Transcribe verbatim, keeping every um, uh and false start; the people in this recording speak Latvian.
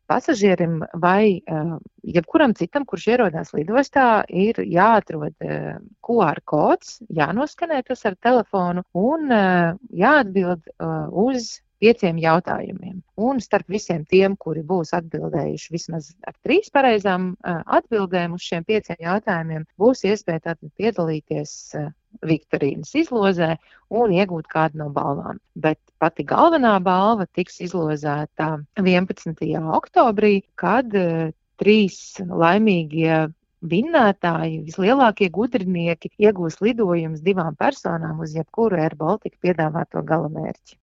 pasažierim vai jebkuram citam, kurš ierodās lidostā, ir jāatrod Q R kods, jānoskanē tas ar telefonu un jāatbild uz pieciem jautājumiem. Un starp visiem tiem, kuri būs atbildējuši vismaz ar trīs pareizām atbildēm uz šiem pieciem jautājumiem, būs iespēja tātad piedalīties viktorīnas izlozē un iegūt kādu no balvām. Bet pati galvenā balva tiks izlozēta vienpadsmitajā oktobrī, kad trīs laimīgie vinnētāji, vislielākie gudrinieki, iegūs lidojumus divām personām uz jebkuru Air Baltica piedāvāto galamērķi.